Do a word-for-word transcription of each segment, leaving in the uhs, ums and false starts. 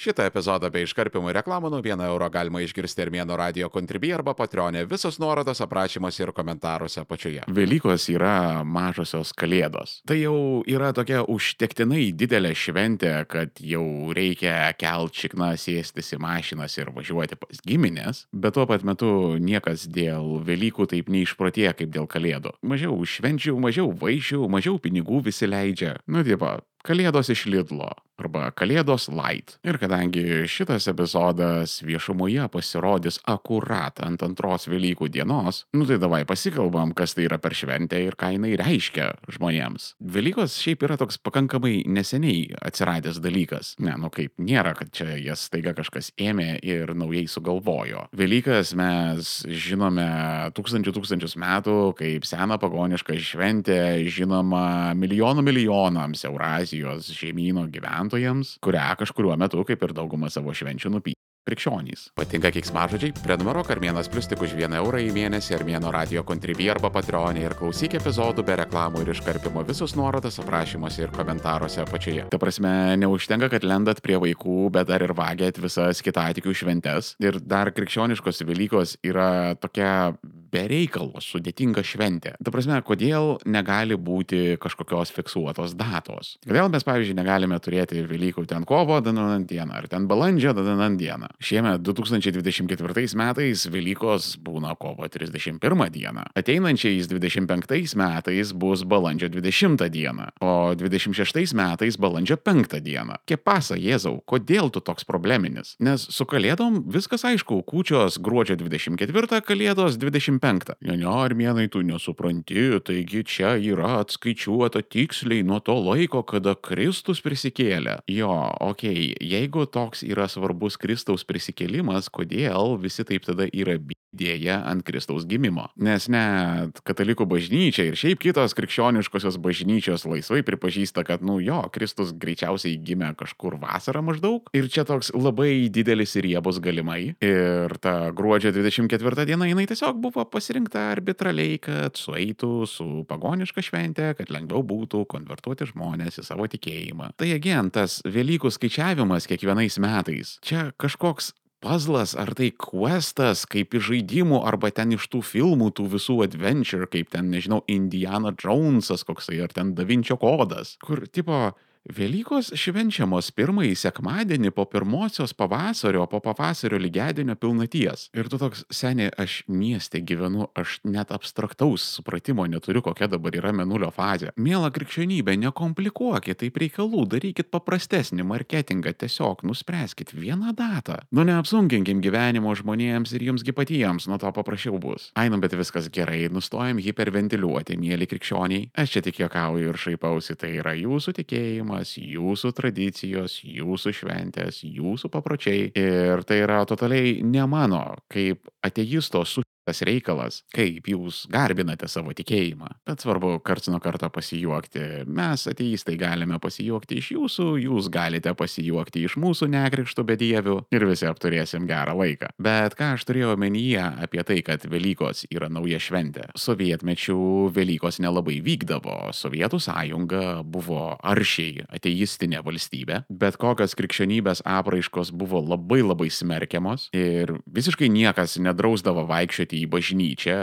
Šitą epizodą bei iškarpimų reklamų nuo vieno euro galima išgirsti Armėno radio Contribui arba Patreon'e. Visos nuorodos aprašymuose ir komentaruose apačioje. Velykos yra mažosios kalėdos. Tai jau yra tokia užtektinai didelė šventė, kad jau reikia kelt šikną, sėstis į mašinas ir važiuoti pas giminės, bet tuo pat metu niekas dėl Velykų taip neišprotėja kaip dėl kalėdų. Mažiau švenčių, mažiau vaišių, mažiau pinigų visi leidžia. Nu, tipo, Kalėdos iš Lidlo arba Kalėdos light. Ir kadangi šitas epizodas viešumoje pasirodys akurat ant antros Velykų dienos, nu tai davai pasikalbam, kas tai yra per šventę ir ką jinai reiškia žmonėms. Velykos šiaip yra toks pakankamai neseniai atsiradęs dalykas. Ne, nu kaip, nėra, kad čia jas staiga kažkas ėmė ir naujai sugalvojo. Velykas mes žinome tūkstančių tūkstančius metų kaip seną pagonišką šventę, žinoma milijonų milijonams Eurazijos žemyno gyventojams, kurią kažkuriuo metu, kaip ir dauguma savo švenčių, nupy krikščionys. Patinka keiksmažodžiai? Prenumeruok Armėnas Plius tik už vieną eurą į mėnesį Armėno radio Contribui arba Patreon'e ir klausyk epizodų be reklamų ir iškarpimo. Visus nuorodas aprašymuose ir komentaruose apačioje. Ta prasme, neužtenka, kad lendat prie vaikų, bet dar ir vagiat visas kitatikių šventes. Ir dar krikščioniškos Velykos yra tokia bereikalo sudėtinga šventė. Ta prasme, kodėl negali būti kažkokios fiksuotos datos? Kodėl mes, pavyzdžiui, negalime turėti Velykų ten kovo dananant dieną ar ten balandžio dananant dieną? Šiemet du tūkstančiai dvidešimt ketvirtais metais Velykos būna kovo trisdešimt pirmą dieną. Ateinančiais dvidešimt penktais metais bus balandžio dvidešimtą dieną, o dvidešimt šeštais metais balandžio penktą dieną. Kepasa, Jėzau, kodėl tu toks probleminis? Nes su kalėdom viskas aišku, kūčios gruodžio dvidešimt ketvirtą, kalėdos dvidešimt penktą. Ne, ne, Armėnai, tu nesupranti, taigi čia yra atskaičiuota tiksliai nuo to laiko, kada Kristus prisikėlė. Jo, okei, okay, jeigu toks yra svarbus Kristaus prisikėlimas, kodėl visi taip tada yra bydėję ant Kristaus gimimo? Nes net katalikų bažnyčia ir šiaip kitos krikščioniškosios bažnyčios laisvai pripažįsta, kad, nu jo, Kristus greičiausiai gimė kažkur vasarą maždaug. Ir čia toks labai didelis ir riebus galimai. Ir ta gruodžio dvidešimt ketvirta diena, jinai tiesiog buvo pasirinkta arbitraliai, kad sueitų su pagoniška šventė, kad lengviau būtų konvertuoti žmonės į savo tikėjimą. Tai again, tas Velykų skaičiavimas kiekvienais metais. Čia kažkoks puzzlas, ar tai questas, kaip iš žaidimų, arba ten iš tų filmų, tų visų adventure, kaip ten, nežinau, Indiana Jonesas koksai, ar ten Da Vinčio kodas, kur, tipo, Velykos švenčiamos pirmąjį sekmadienį po pirmosios pavasario, po pavasario lygiadienio pilnaties. Ir tu toks, seni, aš mieste gyvenu, aš net abstraktaus supratimo neturiu, kokia dabar yra mėnulio fazė. Miela krikščionybė, nekomplikuokit taip reikalų, darykit paprastesnį marketingą, tiesiog nuspręskit vieną datą. Nu neapsunkinkim gyvenimo žmonėms ir jumsgi patiems, nuo to paprasčiau bus. Ainam, bet viskas gerai, nustojam hiperventiliuoti, mieli krikščioniai. Aš čia tik juokauju ir šaipausi, tai yra jūsų tikėjimas, jūsų tradicijos, jūsų šventės, jūsų papročiai. Ir tai yra totaliai ne mano, kaip ateisto su tas reikalas, kaip jūs garbinate savo tikėjimą. Bet svarbu karts nuo karto pasijuokti. Mes ateistai galime pasijuokti iš jūsų, jūs galite pasijuokti iš mūsų nekrikštų bedievių ir visi apturėsim gerą laiką. Bet ką aš turėjau omenyje apie tai, kad Velykos yra nauja šventė? Sovietmečių Velykos nelabai vykdavo. Sovietų sąjunga buvo aršiai ateistinė valstybė, bet kokios krikščionybės apraiškos buvo labai labai smerkiamos ir visiškai niekas nedrausdavo vaikščioti į bažnyčią,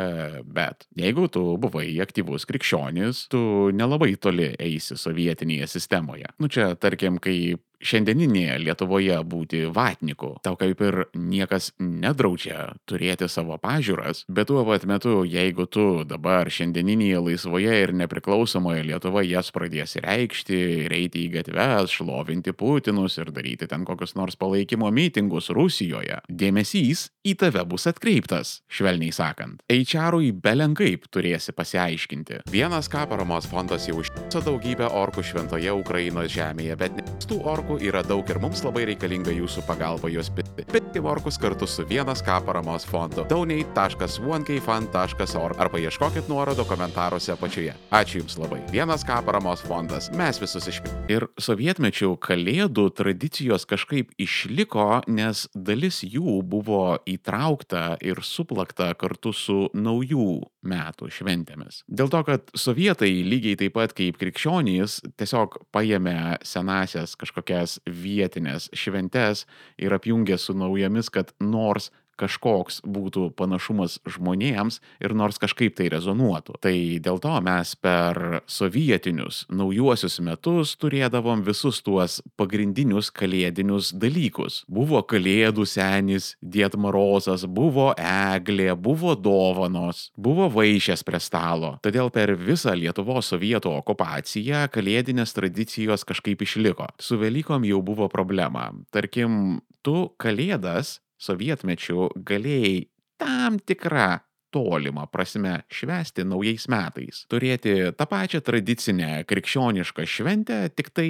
bet jeigu tu buvai aktyvus krikščionis, tu nelabai toli eisi sovietinėje sistemoje. Nu čia, tarkim, kai šiandieninėje Lietuvoje būti vatniku, tau kaip ir niekas nedraudžia turėti savo pažiūras, bet tuo pat metu, jeigu tu dabar šiandieninėje laisvoje ir nepriklausomoje Lietuvoje jas pradėsi reikšti, eiti į gatves, šlovinti Putinus ir daryti ten kokius nors palaikymo mitingus Rusijoje, dėmesys į tave bus atkreiptas, švelniai sakant. H R-ui belenkaip turėsi pasiaiškinti. Vienas K paramos fondas jau užtiso daugybę orkų šventoje Ukrainos žemėje, bet tų orkų yra daug ir mums labai reikalinga jūsų pagalba juos piti. Piti orkus kartu su Vienas K paramos fondu. donate taškas one k fund taškas org arba ieškokit nuorodo komentaruose apačioje. Ačiū Jums labai. Vienas K paramos fondas. Mes visus išpiti. Ir sovietmečių kalėdų tradicijos kažkaip išliko, nes dalis jų buvo įtraukta ir suplakta kartu su naujų metų šventėmis. Dėl to, kad sovietai lygiai taip pat kaip krikščionys tiesiog paėmė senasias kažkokias kažkokias vietinės šventes ir apjungė su naujomis, kad nors kažkoks būtų panašumas žmonėms ir nors kažkaip tai rezonuotų. Tai dėl to mes per sovietinius naujuosius metus turėdavom visus tuos pagrindinius kalėdinius dalykus. Buvo kalėdų senis, Died Marozas, buvo eglė, buvo dovanos, buvo vaišės prie stalo. Todėl per visą Lietuvos sovietų okupaciją kalėdinės tradicijos kažkaip išliko. Su Velykom jau buvo problema. Tarkim, tu kalėdas sovietmečiu galėjai tam tikrą tolimą prasme švęsti naujais metais. Turėti tą pačią tradicinę krikščionišką šventę, tik tai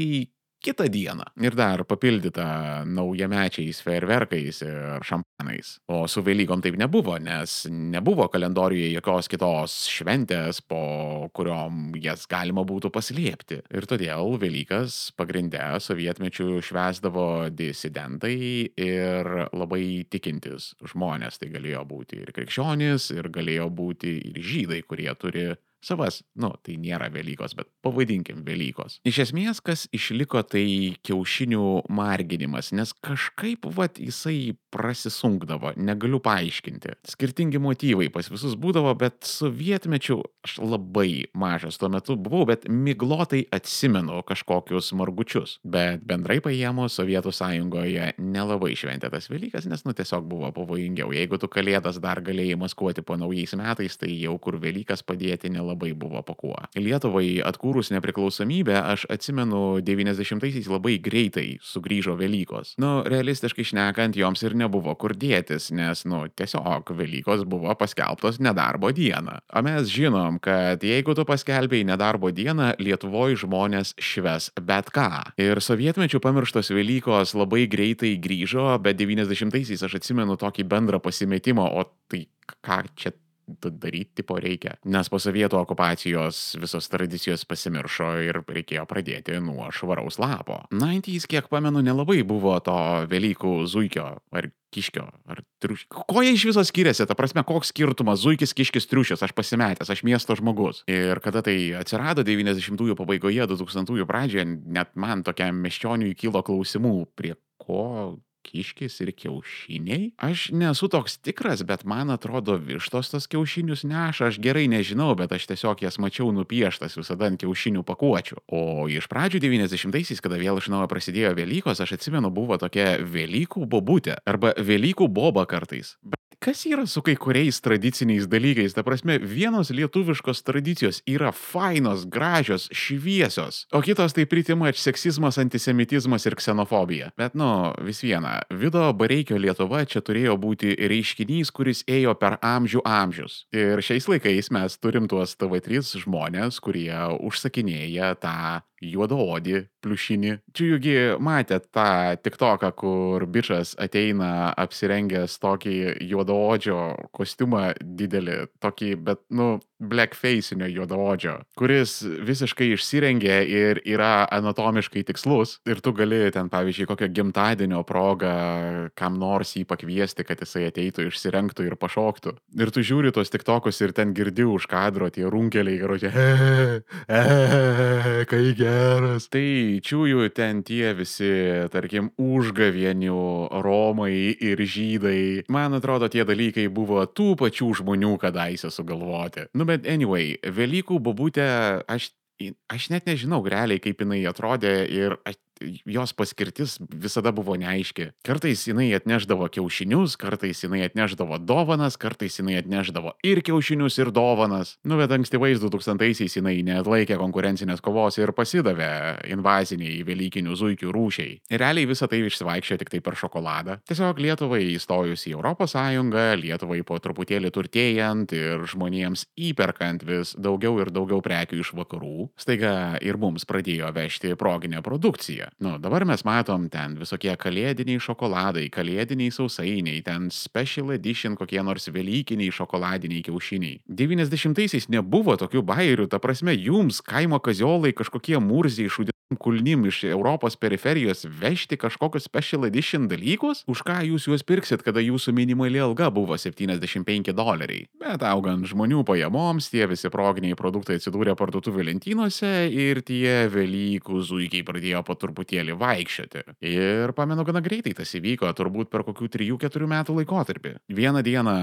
kitą dieną. Ir dar papildyta naujamečiais fejerverkais ir šampanais. O su Velykom taip nebuvo, nes nebuvo kalendoriuje jokios kitos šventės, po kuriom jas galima būtų paslėpti. Ir todėl Velykas pagrinde sovietmečiu švęsdavo disidentai ir labai tikintis žmonės. Tai galėjo būti ir krikščionys, ir galėjo būti ir žydai, kurie turi savas, nu, tai nėra Velykos, bet pavadinkim Velykos. Iš esmės, kas išliko, tai kiaušinių marginimas, nes kažkaip, vat, jisai prasisunkdavo, negaliu paaiškinti. Skirtingi motyvai pas visus būdavo, bet sovietmečiu aš labai mažas tuo metu buvau, bet miglotai atsimenu kažkokius margučius. Bet bendrai paėmus, Sovietų sąjungoje nelabai šventė tas Velykas, nes, nu, tiesiog buvo pavojingiau. Jeigu tu kalėdas dar galėjai maskuoti po naujais metais, tai jau kur Velykas padėti nelabai labai buvo po kuo. Lietuvai atkūrus nepriklausomybę, aš atsimenu devyniasdešimtaisiais labai greitai sugrįžo Velykos. Nu, realistiškai šnekant, joms ir nebuvo kur dėtis, nes, nu, tiesiog Velykos buvo paskelbtos nedarbo dieną. O mes žinom, kad jeigu tu paskelbėjai nedarbo dieną, Lietuvoje žmonės šves bet ką. Ir sovietmečių pamirštos Velykos labai greitai grįžo, bet devyniasdešimtaisiais aš atsimenu tokį bendrą pasimetimą, o tai ką čia daryti tipo reikia. Nes po sovietų okupacijos visos tradicijos pasimiršo ir reikėjo pradėti nuo švaraus lapo. devyniasdešimtaisiais, kiek pamenu, nelabai buvo to Velykų zuikio ar kiškio ar triušio. Ko jie iš viso skiriasi? Ta prasme, koks skirtumas zuikis, kiškis, triušis? Aš pasimetęs, aš miesto žmogus. Ir kada tai atsirado devyniasdešimtųjų pabaigoje, du tūkstantųjų pradžioje, net man tokiam miesčioniui kilo klausimų, prie ko kiškis ir kiaušiniai? Aš nesu toks tikras, bet man atrodo vištos tos kiaušinius neša, aš gerai nežinau, bet aš tiesiog jas mačiau nupieštas visada ant kiaušinių pakuočių. O iš pradžių devyniasdešimtaisiais, kada vėl iš naujo prasidėjo Velykos, aš atsimenu, buvo tokia Velykų bobutė arba Velykų boba kartais. Bet kas yra su kai kuriais tradiciniais dalykais? Ta prasme, vienos lietuviškos tradicijos yra fainos, gražios, šviesios, o kitos tai pritimač seksizmas, antisemitizmas ir ksenofobija. Bet, nu, vis viena, Vido Bareikio Lietuva čia turėjo būti reiškinys, kuris ėjo per amžių amžius. Ir šiais laikais mes turim tuos T V trys žmonės, kurie užsakinėja tą juodaodį pliušinį. Čia jūgi matėt tą tiktoką, kur bičas ateina apsirengęs tokį juodaodžio kostiumą didelį, tokį, bet, nu, blackfacinio juodaodžio, kuris visiškai išsirengia ir yra anatomiškai tikslus. Ir tu gali ten, pavyzdžiui, kokio gimtadienio progą kam nors jį pakviesti, kad jisai ateitų, išsirengtų ir pašoktų. Ir tu žiūri tos tiktokus ir ten girdi už kadro tie runkeliai, karočią, e, e, kai geras. Tai čiųjų ten tie visi, tarkim, užgavienių romai ir žydai. Man atrodo, tie dalykai buvo tų pačių žmonių kadaise sugalvoti. Nu, bet anyway, Velykų bobutė, aš, aš net nežinau realiai, kaip jinai atrodė ir aš, jos paskirtis visada buvo neaiški. Kartais jinai atneždavo kiaušinius, kartais jinai atneždavo dovanas, kartais jinai atneždavo ir kiaušinius, ir dovanas. Nu, bet ankstyvais du tūkstantaisiais jinai neatlaikė konkurencinės kovos ir pasidavė invaziniai velykinių zuikių rūšiai. Ir realiai visą tai išsivaikščia tik tai per šokoladą. Tiesiog Lietuvai įstojus į Europos Sąjungą, Lietuvai po truputėlį turtėjant ir žmonėms įperkant vis daugiau ir daugiau prekių iš vakarų, staiga ir mums pradėjo vežti proginę produkciją. Nu, dabar mes matom ten visokie kalėdiniai šokoladai, kalėdiniai sausainiai, ten special edition kokie nors velykiniai šokoladiniai kiaušiniai. devyniasdešimtaisiais nebuvo tokių bairių, ta prasme, jums kaimo kaziolai kažkokie murziai šūdi kulnim iš Europos periferijos vežti kažkokius special edition dalykus? Už ką jūs juos pirksit, kada jūsų minimali alga buvo septyniasdešimt penki doleriai? Bet augant žmonių pajamoms, tie visi proginiai produktai atsidūrė parduotuvių lentynose ir tie Velykų zuikiai pradėjo po truputėlį vaikščioti. Ir pamenu, gana greitai tas įvyko, turbūt per kokių trijų keturių metų laikotarpį. Vieną dieną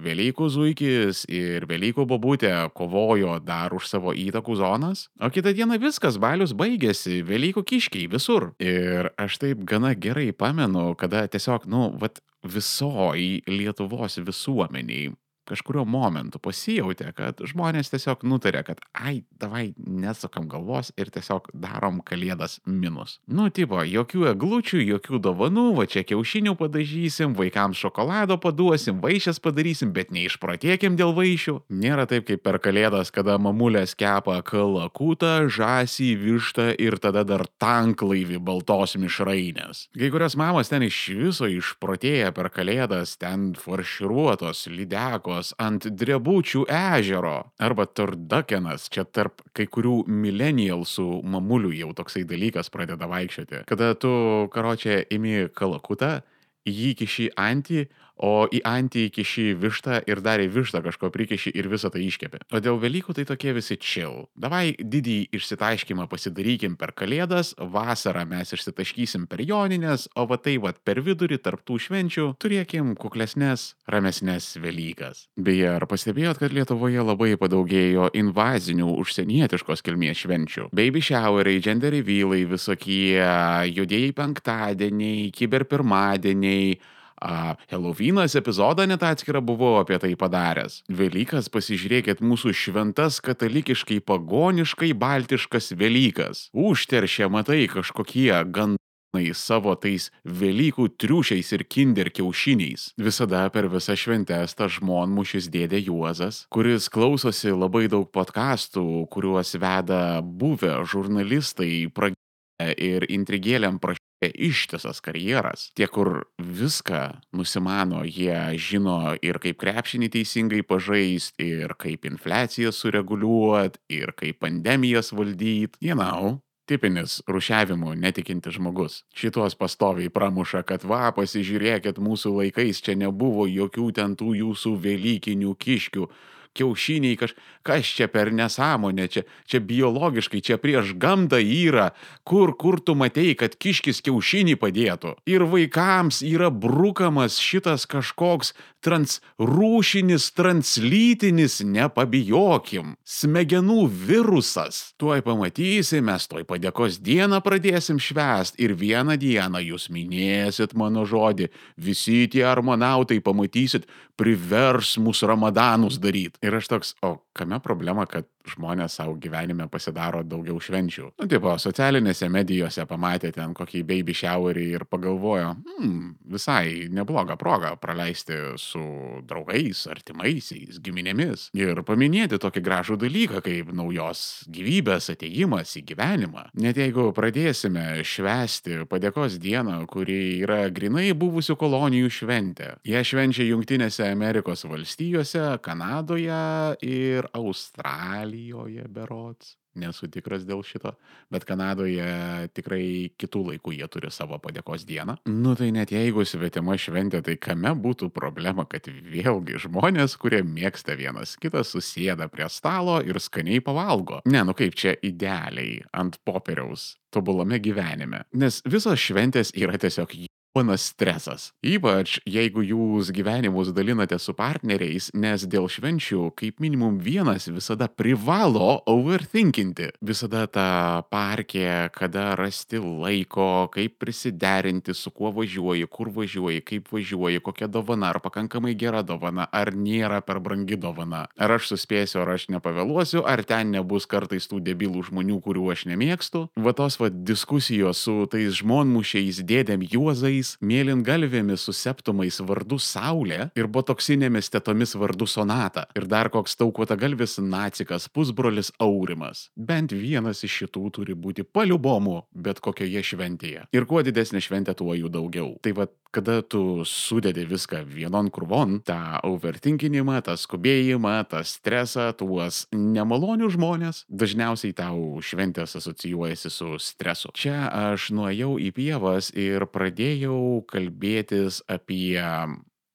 Velykų zuikis ir Velykų bobutė kovojo dar už savo įtakų zonas, o kitą dieną viskas, balius baigėsi. Velykų kiškiai visur. Ir aš taip gana gerai pamenu, kada tiesiog, nu, vat visoj Lietuvos visuomeniai kažkurio momentu pasijautė, kad žmonės tiesiog nutarė, kad ai, davai nesukam galvos ir tiesiog darom kalėdas minus. Nu, tipo, jokių eglučių, jokių dovanų, va čia kiaušinių padažysim, vaikams šokolado paduosim, vaišes padarysim, bet neišprotėkim dėl vaišių. Nėra taip kaip per kalėdas, kada mamulės kepa kalakutą, žąsį, vištą ir tada dar tanklaivį baltos mišrainės. Kai kurios mamos ten iš viso išprotėja per kalėdas, ten farširuotos, lydekos, ant drebučių ežero. Arba turdukenas, čia tarp kai kurių millennialsų mamulių jau toksai dalykas pradeda vaikščioti. Kada tu, karočią, imi kalakutą, jį kiši antį, o į antį kiši vištą ir dar į vištą kažko prikiši ir visą tai iškepi. O dėl Velykų tai tokie visi chill. Davai didį išsitaškymą pasidarykim per kalėdas, vasarą mes išsitaškysim per joninės, o va tai va per vidurį tarp tų švenčių turėkim kuklesnes, ramesnes Velykas. Beje, ar pastebėjot, kad Lietuvoje labai padaugėjo invazinių užsienietiškos kilmės švenčių? Baby showeriai, gender revealai, visokie juodieji penktadieniai, kiber pirmadieniai. Uh, Helovynas epizodą net atskirą buvau apie tai padaręs. Velykas, pasižiūrėkit, mūsų šventas katalikiškai pagoniškai baltiškas Velykas. Užteršia, matai, kažkokie gandai savo tais Velykų triušiais ir kinder kiaušiniais. Visada per visą šventes tas žmonmušis dėdė Juozas, kuris klausosi labai daug podcastų, kuriuos veda buvę žurnalistai, pragę ir intrigėliam prašyti ištisas karjeras. Tie, kur viską nusimano, jie žino ir kaip krepšinį teisingai pažaist, ir kaip infliaciją sureguliuot, ir kaip pandemijas valdyt. You know, tipinis rūšiavimu netikintis žmogus. Šitos pastoviai pramuša, kad va, pasižiūrėkit, mūsų laikais čia nebuvo jokių ten tų jūsų velykinių kiškių. Kiaušiniai, kaž... kas čia per nesąmonė, čia, čia biologiškai, čia prieš gamtą yra, kur, kur tu matei, kad kiškis kiaušinį padėtų. Ir vaikams yra brukamas šitas kažkoks transrūšinis, translytinis, nepabijokim, smegenų virusas. Tuoj pamatysi, mes tuoj padėkos dieną pradėsim švęst ir vieną dieną jūs minėsit mano žodį, visi tie armonautai pamatysit, privers mus ramadanus daryt. Ir aš toks, o kame problema, kad žmonės savo gyvenime pasidaro daugiau švenčių? Nu, tipo, socialinėse medijose pamatė ten kokį baby showerį ir pagalvojo, hmm, visai neblogą progą praleisti su draugais, artimaisiais, giminėmis ir paminėti tokį gražų dalyką kaip naujos gyvybės atėjimas į gyvenimą. Net jeigu pradėsime švęsti padėkos dieną, kuri yra grinai buvusių kolonijų šventė. Jie švenčia Jungtinėse Amerikos valstijose, Kanadoje ir Australijoje berods. Nesu tikras dėl šito, bet Kanadoje tikrai kitų laikų jie turi savo padėkos dieną. Nu tai net jeigu svetima šventė, tai kame būtų problema, kad vėlgi žmonės, kurie mėgsta vienas kitą, susėda prie stalo ir skaniai pavalgo. Ne, nu kaip čia idealiai ant popieriaus tobulame gyvenime. Nes visos šventės yra tiesiog ponas stresas. Ypač jeigu jūs gyvenimus dalinate su partneriais, nes dėl švenčių kaip minimum vienas visada privalo overthinkinti. Visada ta parkė, kada rasti laiko, kaip prisiderinti, su kuo važiuoji, kur važiuoji, kaip važiuoji, kokia dovana, ar pakankamai gera dovana, ar nėra per brangi dovana. Ar aš suspėsiu, ar aš nepavėluosiu, ar ten nebus kartais tų debilų žmonių, kurių aš nemėgstu. Va tos va diskusijos su tais žmonmušiais dėdėm Juozais tokiais mėlyngalvėmis su septumais vardu Saulė ir botoksinėmis tetomis vardu Sonata. Ir dar koks taukuotagalvis nacikas pusbrolis Aurimas. Bent vienas iš šitų turi būti paliubomu bet kokioje šventėje. Ir kuo didesnė šventė, tuo jų daugiau. Tai va, kada tu sudedi viską vienon krūvon, tą overthinkinimą, tą skubėjimą, tą stresą, tuos nemalonius žmonės, dažniausiai tau šventės asocijuojasi su stresu. Čia aš nuėjau į pievas ir pradėjau kalbėtis apie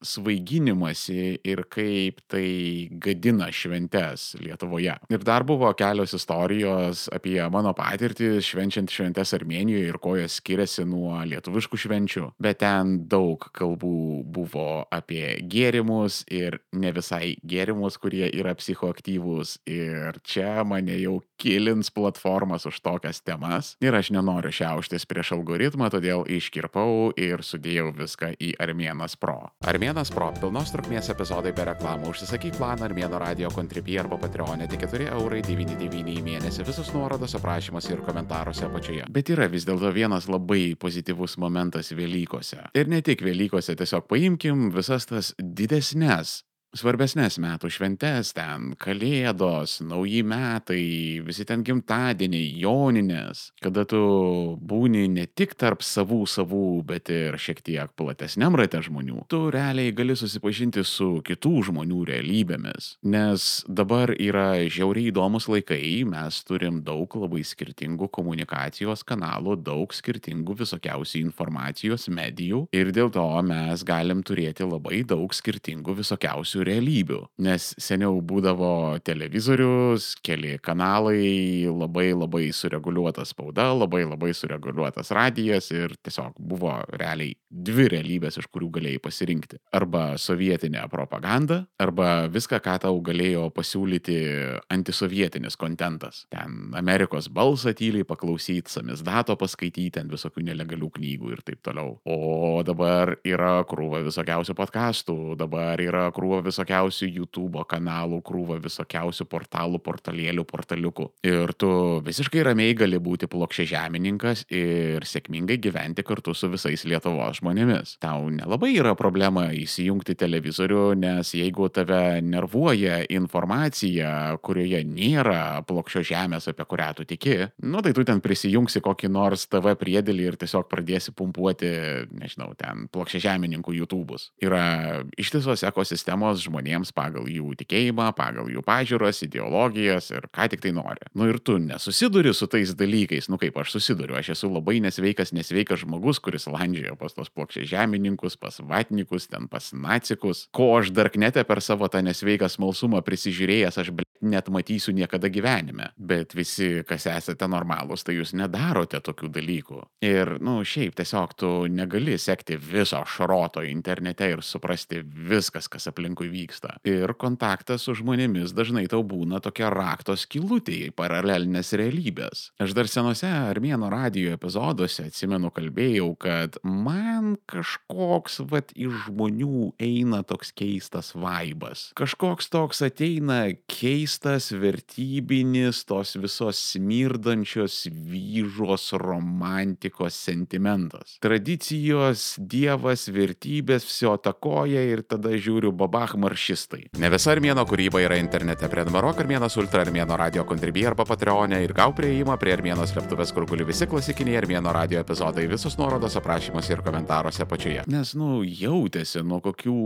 svaiginimąsi ir kaip tai gadina šventes Lietuvoje. Ir dar buvo kelios istorijos apie mano patirtį švenčiant šventes Armėnijoje ir ko jos skiriasi nuo lietuviškų švenčių. Bet ten daug kalbų buvo apie gėrimus ir ne visai gėrimus, kurie yra psichoaktyvūs. Ir čia mane jau kilins platformas už tokias temas. Ir aš nenoriu šiauštis prieš algoritmą, todėl iškirpau ir sudėjau viską į Armėnas Pro. Armėnas Pro – pilnos trukmės epizodai be reklamų. Užsisakyk planą Armėno Radio Contribui arba Patreon'e tik keturi eurai devyni devyni į mėnesį. Visus nuorodos aprašymuose ir komentaruose apačioje. Bet yra vis dėlto vienas labai pozityvus momentas Velykose. Ir ne tik Velykose, tiesiog paimkim visas tas didesnes, svarbesnės metų šventes, ten Kalėdos, Nauji metai, visi ten gimtadieniai, joninės, kada tu būni ne tik tarp savų savų, bet ir šiek tiek platesniam rate žmonių, tu realiai gali susipažinti su kitų žmonių realybėmis. Nes dabar yra žiauriai įdomus laikai, mes turim daug labai skirtingų komunikacijos kanalų, daug skirtingų visokiausių informacijos medijų ir dėl to mes galim turėti labai daug skirtingų visokiausių realybių, nes seniau būdavo televizorius, keli kanalai, labai labai sureguliuota spauda, labai labai sureguliuotas radijas ir tiesiog buvo realiai dvi realybės, iš kurių galėjai pasirinkti. Arba sovietinė propaganda, arba viską, ką tau galėjo pasiūlyti antisovietinis kontentas. Ten Amerikos balsą tyliai paklausyti, samizdato paskaityti, ant visokių nelegalių knygų ir taip toliau. O dabar yra krūva visokiausių podcastų, dabar yra krūva visokiausių YouTube kanalų, krūva visokiausių portalų, portalėlių, portaliukų. Ir tu visiškai ramiai gali būti plokščiažemininkas ir sėkmingai gyventi kartu su visais Lietuvos žmonėmis. Tau nelabai yra problema įsijungti televizorių, nes jeigu tave nervuoja informacija, kurioje nėra plokščios žemės, apie kurią tu tiki, nu tai tu ten prisijungsi kokį nors T V priedėlį ir tiesiog pradėsi pumpuoti, nežinau, ten plokščiažemininkų YouTube'us. Yra ištisos ekosistemos žmonėms pagal jų tikėjimą, pagal jų pažiūras, ideologijas ir ką tik tai nori. Nu ir tu nesusiduri su tais dalykais, nu kaip aš susiduriu, aš esu labai nesveikas, nesveikas žmogus, kuris landžiojo pas tos plokščiažemininkus, pas vatnikus, ten pas nacikus, ko aš darknete per savo tą nesveiką smalsumą prisižiūrėjęs, aš bl... net matysiu niekada gyvenime. Bet visi, kas esate normalūs, tai jūs nedarote tokių dalykų. Ir, nu, šiaip tiesiog tu negali sekti viso šroto internete ir suprasti viskas, kas aplinkui vyksta. Ir kontaktas su žmonėmis dažnai tau būna tokia rakto skylutė į paralelinės realybės. Aš dar senose Armėno radijo epizoduose atsimenu kalbėjau, kad man kažkoks vat iš žmonių eina toks keistas vaibas. Kažkoks toks ateina keistas vertybinis tos visos smirdančios vyžos romantikos sentimentas. Tradicijos, dievas, vertybės, viso takoja ir tada žiūriu babach maršistai. Ne visa Armėno kūryba yra internete. Prenumeruok Armėnas Ultra, Armėno Radio Contribui arba Patreon'e ir gau prieimą prie Armėno slėptuvės, kur guli visi klasikiniai Armėno radio epizodai, visus nuorodos aprašymuose ir komentaruose apačioje. Nes, nu, jautėsi nuo kokių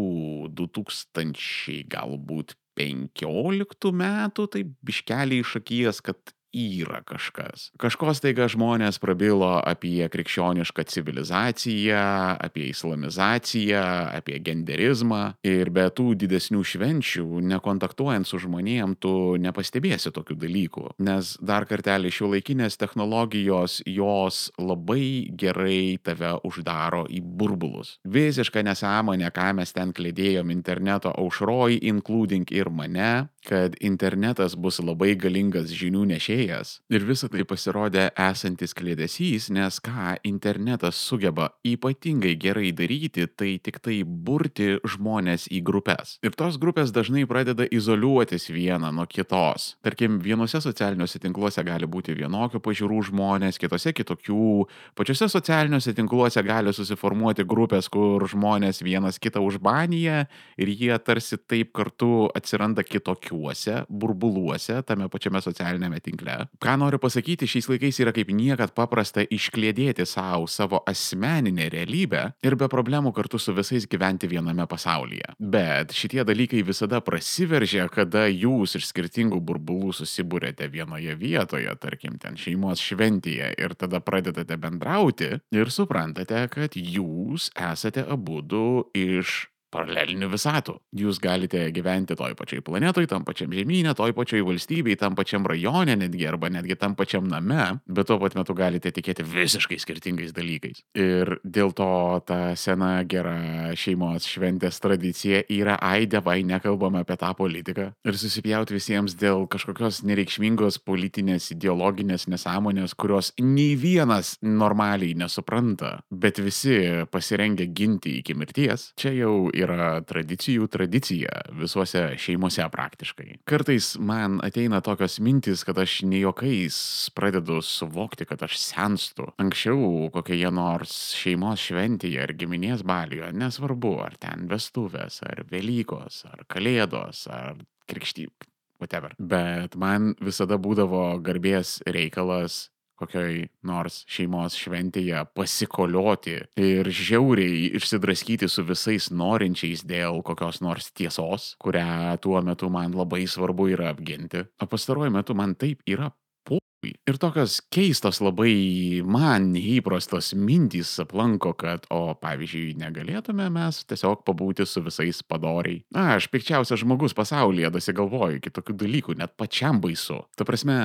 du tūkstančiai galbūt penkioliktų metų, tai biškeliai iš akies, kad yra kažkas. Kažko staiga žmonės prabilo apie krikščionišką civilizaciją, apie islamizaciją, apie genderizmą ir be tų didesnių švenčių, nekontaktuojant su žmonėm, tu nepastebėsi tokių dalykų. Nes dar kartelį šiuolaikinės technologijos, jos labai gerai tave uždaro į burbulus. Visiška nesąmonė, ką mes ten klėdėjom interneto aušroj, including ir mane, kad internetas bus labai galingas žinių nešėjas kūrėjas. Ir visa tai pasirodė esantis kliedesys, nes ką internetas sugeba ypatingai gerai daryti, tai tik tai burti žmonės į grupės. Ir tos grupės dažnai pradeda izoliuotis vieną nuo kitos. Tarkim, vienose socialiniuose tinkluose gali būti vienokių pažiūrų žmonės, kitose kitokių. Pačiose socialiniuose tinkluose gali susiformuoti grupės, kur žmonės vienas kitą užbanija ir jie tarsi taip kartu atsiranda kitokiuose burbuluose tame pačiame socialinėme tinkle. Ką noriu pasakyti, šiais laikais yra kaip niekad paprasta iškliedėti savo savo asmeninę realybę ir be problemų kartu su visais gyventi viename pasaulyje. Bet šitie dalykai visada prasiveržia, kada jūs iš skirtingų burbulų susibūrėte vienoje vietoje, tarkim ten šeimos šventėje, ir tada pradedate bendrauti ir suprantate, kad jūs esate abudu iš paralelinių visatų. Jūs galite gyventi toj pačioj planetoj, tam pačiam žemyne, toj pačioj valstybėj, tam pačiam rajone netgi, arba netgi tam pačiam name, bet tuo pat metu galite tikėti visiškai skirtingais dalykais. Ir dėl to ta sena gera šeimos šventės tradicija yra ai dievai, nekalbame apie tą politiką. Ir susipjauti visiems dėl kažkokios nereikšmingos politinės, ideologinės nesąmonės, kurios nei vienas normaliai nesupranta, bet visi pasirengia ginti iki mirties. Čia jau yra tradicijų tradicija visuose šeimose praktiškai. Kartais man ateina tokios mintis, kad aš ne juokais pradedu suvokti, kad aš senstu. Anksčiau kokioje nors šeimos šventėje ar giminės baliuje, nesvarbu, ar ten vestuvės, ar Velykos, ar Kalėdos, ar krikštyb, whatever. Bet man visada būdavo garbės reikalas kokioj nors šeimos šventėje pasikolioti ir žiauriai išsidraskyti su visais norinčiais dėl kokios nors tiesos, kurią tuo metu man labai svarbu yra apginti. O pastaruoju metu man taip yra pui. Ir tokios keistos labai man neįprastos mintys aplanko, kad, o pavyzdžiui, negalėtume mes tiesiog pabūti su visais padoriai. Na, aš pikčiausias žmogus pasaulyje dasigalvoju kitokių dalykų, net pačiam baisu. Ta prasme,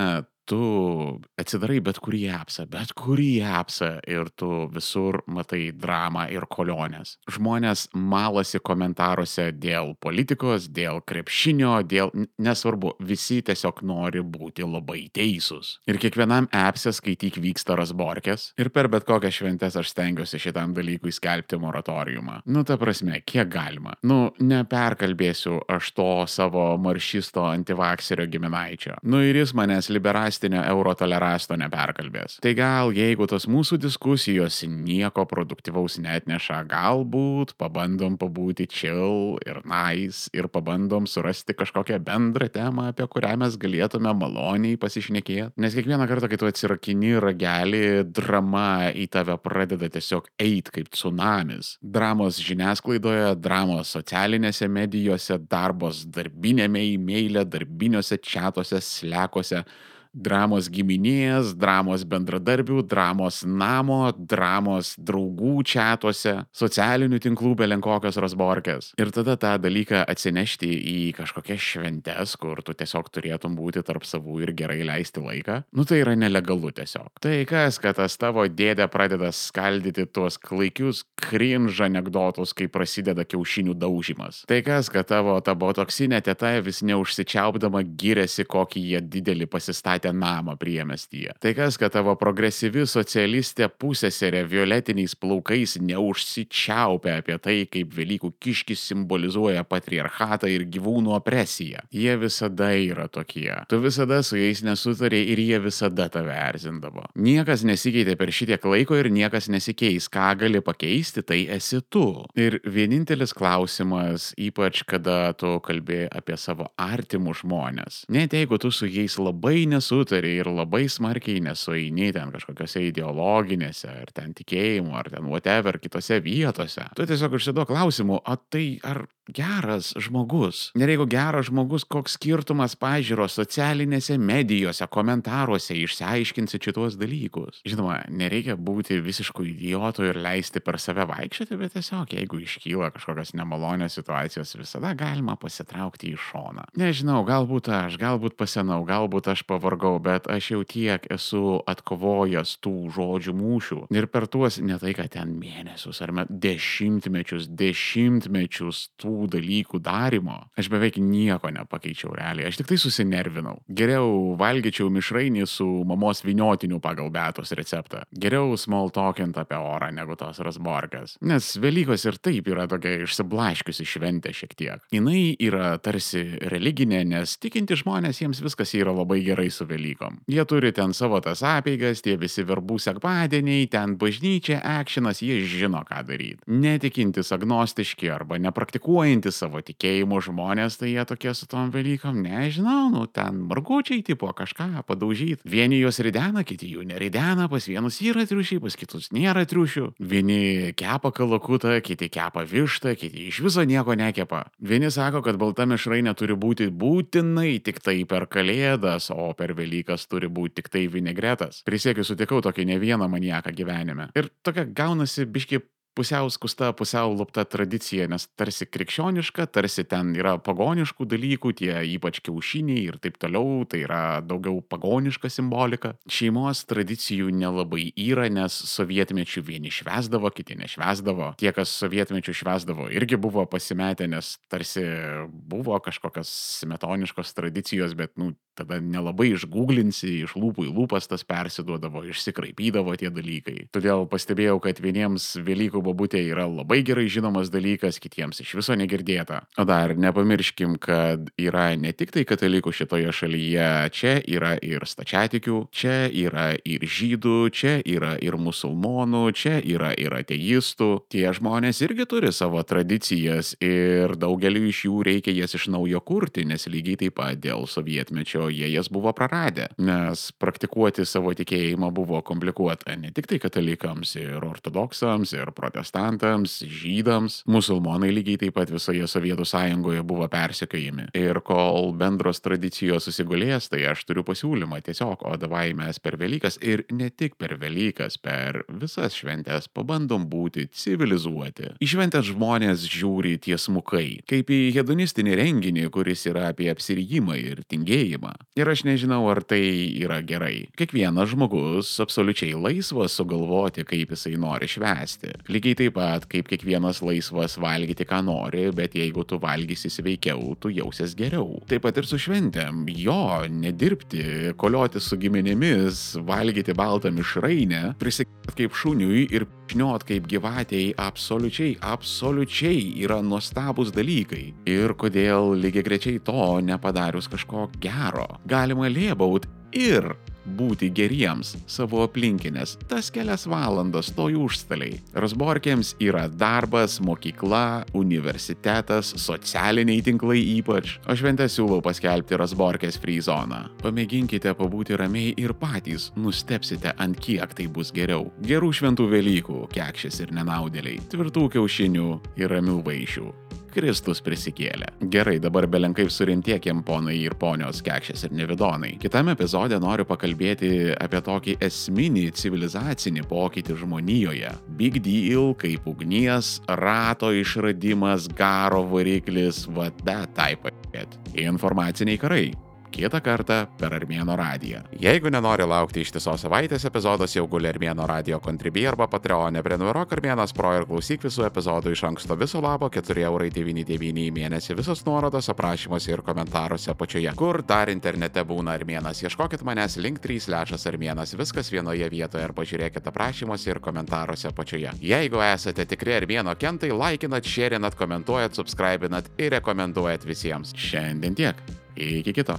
tu atsidarai bet kurį appsą, bet kurį appsą ir tu visur matai dramą ir kolionės. Žmonės malasi komentaruose dėl politikos, dėl krepšinio, dėl, nesvarbu, visi tiesiog nori būti labai teisūs. Ir kiekvienam appse skaityk vyksta razborkės ir per bet kokias šventes aš stengiuosi šitam dalykui skelbti moratoriumą. Nu, ta prasme, kiek galima. Nu, neperkalbėsiu aš to savo maršisto antivakserio giminaičio. Nu, ir jis manęs liberas eurotolerasto neperkalbės. Tai gal, jeigu tos mūsų diskusijos nieko produktyvaus neatneša, galbūt pabandom pabūti chill ir nice ir pabandom surasti kažkokią bendrą temą, apie kurią mes galėtume maloniai pasišnekėti. Nes kiekvieną kartą, kai tu atsirakini ragelį, drama į tave pradeda tiesiog eit kaip tsunamis. Dramos žiniasklaidoje, dramos socialinėse medijose, darbos darbinėme e-maile, darbiniuose čatuose, slekuose, dramos giminės, dramos bendradarbių, dramos namo, dramos draugų čatuose, socialinių tinklų belenkokios razborkės. Ir tada tą dalyką atsinešti į kažkokias šventes, kur tu tiesiog turėtum būti tarp savų ir gerai leisti laiką, nu tai yra nelegalu tiesiog. Tai kas, kad tas tavo dėdė pradeda skaldyti tuos klaikius cringe anekdotus, kai prasideda kiaušinių daužimas. Tai kas, kad tavo ta botoksinė teta vis neužsičiaupdama giriasi, kokį jie didelį pasistatė namą priemestyje. Tai kas, kad tavo progresyvi socialistė pusėserė violetiniais plaukais neužsičiaupia apie tai, kaip Velykų kiškis simbolizuoja patriarchatą ir gyvūnų opresiją. Jie visada yra tokie. Tu visada su jais nesutari ir jie visada tave erzindavo. Niekas nesikeitė per šitiek laiko ir niekas nesikeis. Ką gali pakeisti, tai esi tu. Ir vienintelis klausimas, ypač kada tu kalbi apie savo artimus žmonės. Net jeigu tu su jais labai nesu sutari ir labai smarkiai nesueini ten kažkokiose ideologinėse, ar ten tikėjimų, ar ten whatever, kitose vietose. Tu tiesiog užsiduok klausimų, o tai ar geras žmogus? Ir jeigu geras žmogus, koks skirtumas pažiūros socialinėse medijose, komentaruose, išsiaiškinsi šitos dalykus. Žinoma, nereikia būti visiškų idiotų ir leisti per save vaikščioti, bet tiesiog, jeigu iškyla kažkokios nemalonios situacijos, visada galima pasitraukti į šoną. Nežinau, galbūt aš, galbūt pasenau, galbūt aš pavargau, bet aš jau tiek esu atkovojęs tų žodžių mūšių. Ir per tuos, ne tai, kad ten mėnesius ar met, dešimtmečius, dešimtmečius tų tų dalykų darymo aš beveik nieko nepakeičiau realiai, aš tik tai susinervinau. Geriau valgyčiau mišrainį su mamos vyniotiniu pagal Beatos receptą. Geriau small talkint apie orą negu tos razborkės. Nes Velykos ir taip yra tokia išsiblaškiusi šventė šiek tiek. Jinai yra tarsi religinė, nes tikinti žmonės jiems viskas yra labai gerai su Velykom. Jie turi ten savo tas apeigas, tie visi verbų sekmadieniai, ten bažnyčia, akšinas, jie žino ką daryti. Netikintis, agnostiški arba nepraktikuojantis savo tikėjimo žmonės, tai jie tokie su tom Velykom, nežinau, nu ten margučiai tipo kažką padaužyti. Vieni juos ridena, kiti jų neridena, pas vienus yra triušiai, pas kitus nėra triušių. Vieni kepa kalakutą, kiti kepa vištą, kiti iš viso nieko nekepa. Vieni sako, kad balta mišrainė turi būti būtinai tik tai per Kalėdas, o per Velykas turi būti tik tai vinegretas. Prisiekiu, sutikau tokį ne vieną maniaką gyvenime. Ir tokia gaunasi biški pusiau skusta, pusiau lupta tradicija, nes tarsi krikščioniška, tarsi ten yra pagoniškų dalykų, tie ypač kiaušiniai ir taip toliau, tai yra daugiau pagoniška simbolika. Šeimos tradicijų nelabai yra, nes sovietmečių vieni švęsdavo, kiti nešvęsdavo. Tie, kas sovietmečių švęsdavo, irgi buvo pasimetę, nes tarsi buvo kažkokios smetoniškos tradicijos, bet, nu, tada nelabai išgūglinsi, iš lūpų į lūpas tas persiduodavo, išsikraipydavo tie dalykai. Todėl pastebėjau, kad vieniems Velykų bobutė yra labai gerai žinomas dalykas, kitiems iš viso negirdėta. O dar nepamirškim, kad yra ne tik tai katalikų šitoje šalyje, čia yra ir stačiatikių, čia yra ir žydų, čia yra ir musulmonų, čia yra ir ateistų. Tie žmonės irgi turi savo tradicijas ir daugeliu iš jų reikia jas iš naujo kurti, nes lygiai taip pat dėl sovietmečio jie jas buvo praradę, nes praktikuoti savo tikėjimą buvo komplikuota ne tik tai katalikams, ir ortodoksams, ir protestantams, žydams, musulmonai lygiai taip pat visoje Sovietų sąjungoje buvo persekiojami. Ir kol bendros tradicijos susigulės, tai aš turiu pasiūlymą tiesiog, o davai mes per Velykas ir ne tik per Velykas, per visas šventės pabandom būti civilizuoti. Į šventės žmonės žiūri tiesmukai, kaip į hedonistinį renginį, kuris yra apie apsirijimą ir tingėjimą. Ir aš nežinau, ar tai yra gerai. Kiekvienas žmogus absoliučiai laisvas sugalvoti, kaip jisai nori švęsti. Lygiai taip pat, kaip kiekvienas laisvas valgyti, ką nori, bet jeigu tu valgysi sveikiau, tu jausies geriau. Taip pat ir su šventėm. Jo, nedirbti, kolioti su giminėmis, valgyti baltą mišrainę, prisikėt kaip šuniui ir šniot kaip gyvatėjai absoliučiai, absoliučiai yra nuostabus dalykai. Ir kodėl lygiai grečiai to nepadarius kažko gero. Galima lėbaut ir būti geriems savo aplinkinės tas kelias valandas toj užstaliai. Razborkėms yra darbas, mokykla, universitetas, socialiniai tinklai ypač. O šventę siūlau paskelbti Razborkės free zoną. Pamėginkite pabūti ramiai ir patys nustepsite, ant kiek tai bus geriau. Gerų šventų Velykų, kekšės ir nenaudėliai, tvirtų kiaušinių ir ramių vaišių. Kristus prisikėlė. Gerai, dabar belenkaip surimtiekiem ponai ir ponios, kekšės ir nevidonai. Kitame epizode noriu pakalbėti apie tokį esminį civilizacinį pokytį žmonijoje. Big deal, kaip ugnies, rato išradimas, garo variklis, va that type of shit. Informaciniai karai. Kitą kartą per Armėno radiją. Jeigu nenori laukti ištisos savaitės epizodas, jau guli Armėno radio Contribui arba Patreon'e, prenumeruok Armėnas Pro ir klausyk visų epizodų iš anksto viso labo keturi eurai devyni devyni į mėnesį, visos nuorodos aprašymuose ir komentaruose apačioje. Kur dar internete būna Armėnas? Ieškokit manęs link trys lešas Armėnas, viskas vienoje vietoje ir pažiūrėkit aprašymuose ir komentaruose apačioje. Jeigu esate tikri Armėno kentai, laikinat, šėrinat, komentuojat, subscribinat ir rekomenduojat visiems. Šiandien tiek. Iki kito.